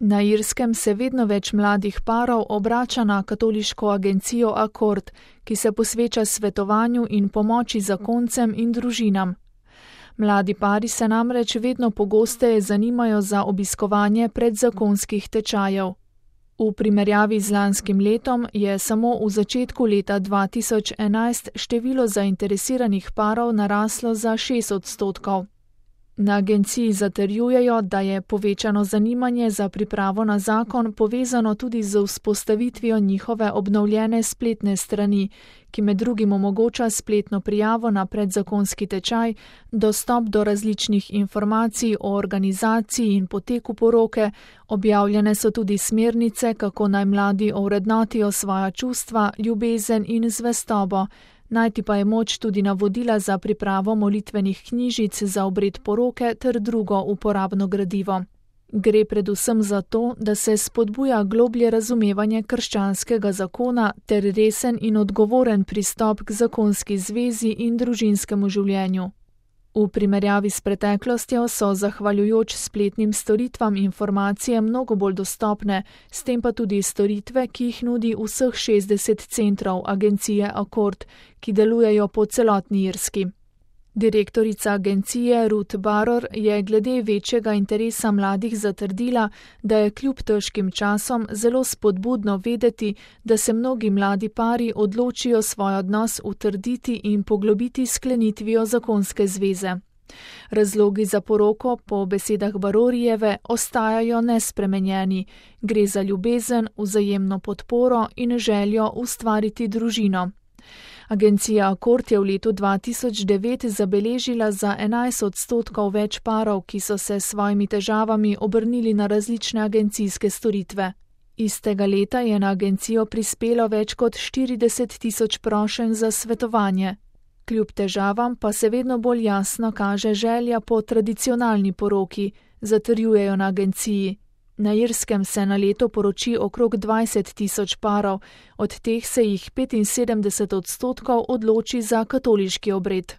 Na Irskem se vedno več mladih parov obrača na katoliško agencijo Accord, ki se posveča svetovanju in pomoči zakoncem in družinam. Mladi pari se namreč vedno pogosteje zanimajo za obiskovanje predzakonskih tečajev. V primerjavi z lanskim letom je samo v začetku leta 2011 število zainteresiranih parov naraslo za 6%. Na agenciji zatrjujejo, da je povečano zanimanje za pripravo na zakon povezano tudi z vzpostavitvijo njihove obnovljene spletne strani, ki med drugim omogoča spletno prijavo na predzakonski tečaj, dostop do različnih informacij o organizaciji in poteku poroke, objavljene so tudi smernice, kako naj mladi ovrednotijo svoja čustva, ljubezen in zvestobo. Najti pa je moč tudi navodila za pripravo molitvenih knjižic za obred poroke ter drugo uporabno gradivo. Gre predvsem za to, da se spodbuja globlje razumevanje krščanskega zakona ter resen in odgovoren pristop k zakonski zvezi in družinskemu življenju. V primerjavi s preteklostjo so zahvaljujoč spletnim storitvam informacije mnogo bolj dostopne, s tem pa tudi storitve, ki jih nudi vseh 60 centrov agencije Accord, ki delujejo po celotni Irski. Direktorica agencije Ruth Barror je glede večjega interesa mladih zatrdila, da je kljub težkim časom zelo spodbudno vedeti, da se mnogi mladi pari odločijo svoj odnos utrditi in poglobiti s sklenitvijo zakonske zveze. Razlogi za poroko po besedah Barrorijeve ostajajo nespremenjeni. Gre za ljubezen, vzajemno podporo in željo ustvariti družino. Agencija Accord je v letu 2009 zabeležila za 11% več parov, ki so se s svojimi težavami obrnili na različne agencijske storitve. Istega leta je na agencijo prispelo več kot 40 tisoč prošenj za svetovanje. Kljub težavam pa se vedno bolj jasno kaže želja po tradicionalni poroki, zatrjujejo na agenciji. Na Irskem se na leto poroči okrog 20 tisoč parov, od teh se jih 75% odloči za katoliški obred.